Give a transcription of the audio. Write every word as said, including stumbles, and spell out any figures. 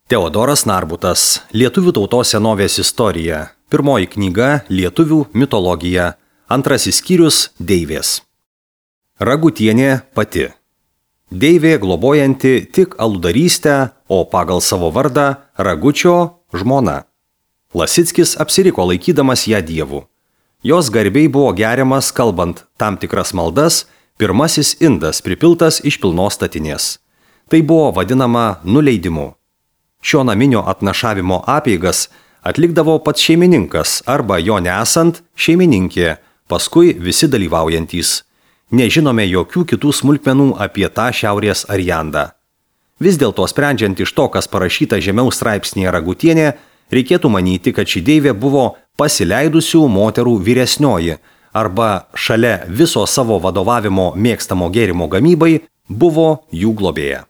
Teodoras Narbutas, Lietuvių tautos senovės istorija. Pirmoji knyga Lietuvių mitologija. Antrasis skyrius Deivės. Ragutienė pati. Deivė globojanti tik aludarystę, o pagal savo vardą Ragučio žmona. Lasickis apsiriko laikydamas ją dievu. Jos garbei buvo geriamas, kalbant tam tikras maldas, pirmasis indas pripiltas iš pilnos statinės. Tai buvo vadinama nuleidimu. Šio naminio atnašavimo apeigas atlikdavo pats šeimininkas arba jo nesant šeimininkė, paskui visi dalyvaujantys. Nežinome jokių kitų smulkmenų apie tą šiaurės ariandą. Vis dėlto sprendžiant iš to, kas parašyta žemiau straipsnėje Ragutienė, reikėtų manyti, kad ši deivė buvo pasileidusių moterų vyresnioji arba šalia viso savo vadovavimo mėgstamo gėrimo gamybai buvo jų globėja.